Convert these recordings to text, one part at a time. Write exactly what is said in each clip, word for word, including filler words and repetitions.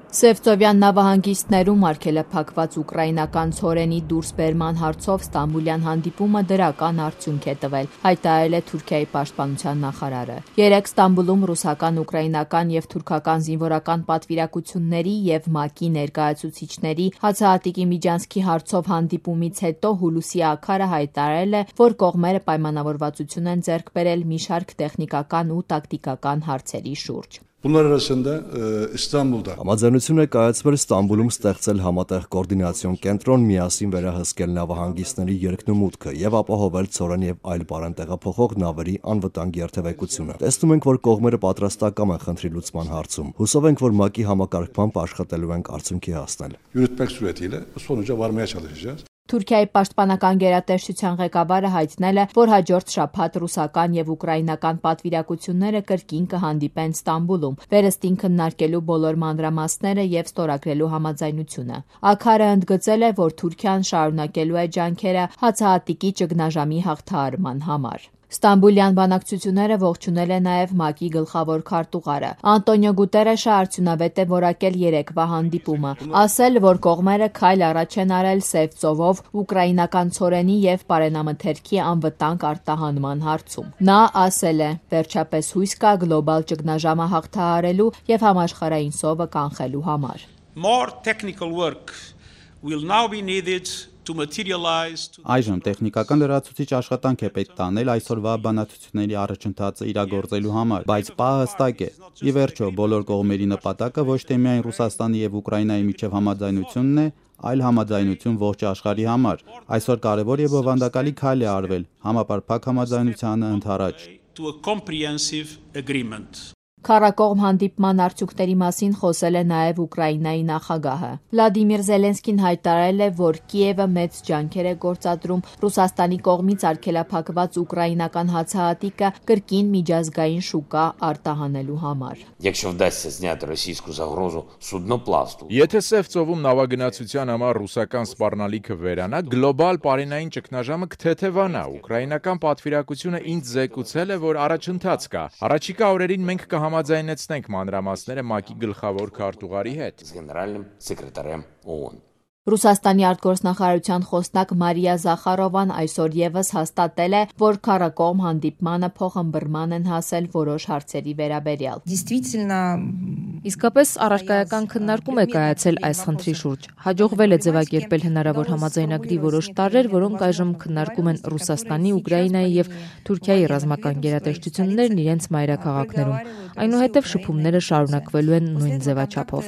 Սևծովյան նավահանգիստներում արգելափակված ուկրաինական ցորենի դուրսբերման հարցով ստամբուլյան հանդիպումը դրական արդյունք է տվել, հայտարարել է Թուրքիայի պաշտպանության նախարարը։ Երեկ Ստամբուլում ռուսական, ուկրաինական և թուրքական զինվորական պատվիրակությունների և ՄԱԿ-ի ներկայացուցիչների հացահատիկի միջանցքի հարցով հանդիպումից հետո Հուլուսի Աքարը հայտարարել է, որ կողմերը պայմանավորվածություն են ձեռք բերել մի շարք տեխնիկական ու տակտիկական հարցերի շուրջ։ Bunlar arasında e, İstanbul'da Համաձայնություն է կայացվել Ստամբուլում ստեղծել համատեղ կոորդինացիոն կենտրոն, միասին վերահսկել նավահանգիստների երկնումուտքը եւ ապահովել ցորեն եւ այլ բարենտեղափոխող նավերի անվտանգ երթևեկությունը։ Տեսնում ենք, որ կողմերը պատրաստակամ են խնդրի լուծման հարցում։ Հուսով ենք, որ ՄԱԿ-ի համակարգմամբ աշխատելու ենք արդյունքի հասնել։ yürütmek suretiyle bu sonuca varmaya çalışacağız. Թուրքիայի պաշտպանական գերատեսչության ղեկավարը հայտնել է, որ հաջորդ շաբաթ ռուսական և ուկրաինական պատվիրակությունները կրկին կհանդիպեն Ստամբուլում, վերստին քննարկելու բոլոր մանրամասները և ստորագրելու համաձայնությունը։ Աքարը ընդգծել է, որ Թուրքիան շարունակելու է ջանքերը հացահատիկի ճգնաժամի հաղթահարման համար։ Ստամբուլյան բանակցությունները ողջունել է նաև ՄԱԿ-ի գլխավոր քարտուղարը։ Անտոնիո Գուտերեշը արդյունավետ է որակել երեկվա հանդիպումը, ասել, որ կողմերը քայլ առաջ են արել Սև ծովով ուկրաինական ցորենի և պարենամթերքի անվտանգ արտահանման հարցում։ Նա ասել է. «Վերջապես հույս կա գլոբալ ճգնաժամը հաղթահարելու և համաշխարհային սովը կանխելու համար»։ More technical work will now be needed to materialize. Այժմ տեխնիկական լրացուցիչ աշխատանք է պետք տանել այսօրվա բանակցությունների առաջընթացը իրագործելու համար, բայց պահը հստակ է։ Ի վերջո, բոլոր կողմերի նպատակը ոչ թե միայն Ռուսաստանի եւ Ուկրաինայի միջև համաձայնությունն է, այլ համաձայնություն ողջ աշխարհի համար։ Այսօր կարևոր եւ բովանդակալի քայլ է արվել համապարփակ համաձայնությանը ընդառաջ։ To a comprehensive agreement. Քառակողմ հանդիպման արդյունքների մասին խոսել է նաև Ուկրաինայի նախագահը։ Վլադիմիր Զելենսկին հայտարարել է, որ Կիևը մեծ ջանքեր է գործադրում Ռուսաստանի կողմից արգելափակված ուկրաինական հացահատիկը կրկին միջազգային շուկա արտահանելու համար։ Եթե Սև ծովում նավագնացության համար ռուսական սպառնալիքը վերանա, գլոբալ պարենային ճգնաժամը կթեթևանա։ Ուկրաինական պատվիրակությունը ինձ զեկուցել է, որ առաջընթաց կա։ Առաջիկա օրերին մենք կհամաձայնեցնենք մանրամասները ՄԱԿ-ի գլխավոր քարտուղարի հետ։ Ռուսաստանի արտգործնախարարության խոսնակ Մարիա Զախարովան այսօր ևս հաստատել է, որ քառակողմ հանդիպմանը փոխըմբռնման են հասել որոշ հարցերի վերաբերյալ։ Իսկապես առարկայական քննարկում է կայացել այս խնդրի շուրջ։ Հաջողվել է ձևակերպել հնարավոր համաձայնագրի որոշ տարրեր, որոնք այժմ քննարկում են Ռուսաստանի, Ուկրաինայի եւ Թուրքիայի ռազմական գերատեսչություններն իրենց մայրաքաղաքներում։ Այնուհետև շփումները շարունակվելու են նույն ձևաչափով։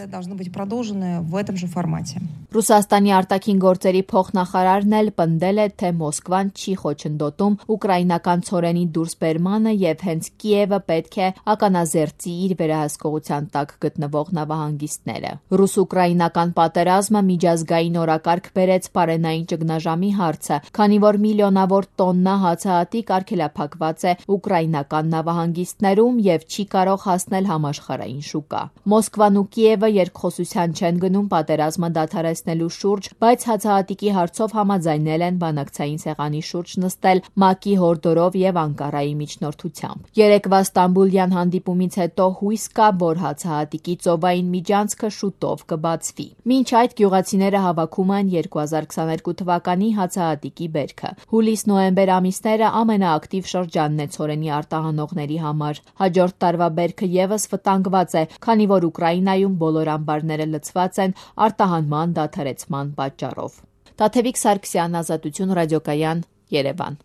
Ռուսաստանի արտաքին գործերի փոխնախարարն էլ պնդել է, թե Մոսկվան չի խոչընդոտում ուկրաինական ցորենի դուրսբերմանը եւ հենց Կիևը պետք է ականազերծի իր վերահսկողության տակ գտնվող նավահանգիստները։ Ռուս-ուկրաինական պատերազմը միջազգային օրակարգ բերեց պարենային ճգնաժամի հարցը, քանի որ միլիոնավոր տոննա հացահատիկ արգելափակված է ուկրաինական նավահանգիստներում եւ չի կարող հասնել համաշխարհային շուկա։ Մոսկվան ու Կիևը երկխոսության չեն գնում պատերազմը դադարեցնելու շուրջ, բայց հացահատիկի հարցով համաձայնել են բանակցային սեղանի շուրջ նստել ՄԱԿ-ի հորդորով եւ Անկարայի միջնորդությամբ։ Երեկվա Ստամբուլյան հանդիպումից հետո հույս կա, որ հացահատիկի ծովային միջանցքը շուտով կբացվի։ Մինչ այդ գյուղացիները հավաքում են երկու հազար քսաներկու թվականի հացահատիկի բերքը։ Հուլիս-նոյեմբեր ամիսները ամենաակտիվ շրջանն է ցորենի արտահանողների համար։ Հաջորդ տարվա բերքը ևս վտանգված է, քանի որ Ուկրաինայում բոլոր ամբարները լցված են արտահանման դադարեցման պատճառով։ Տաթևիկ Սարգսյան, Ազատություն ռադիոկայան, Երևան։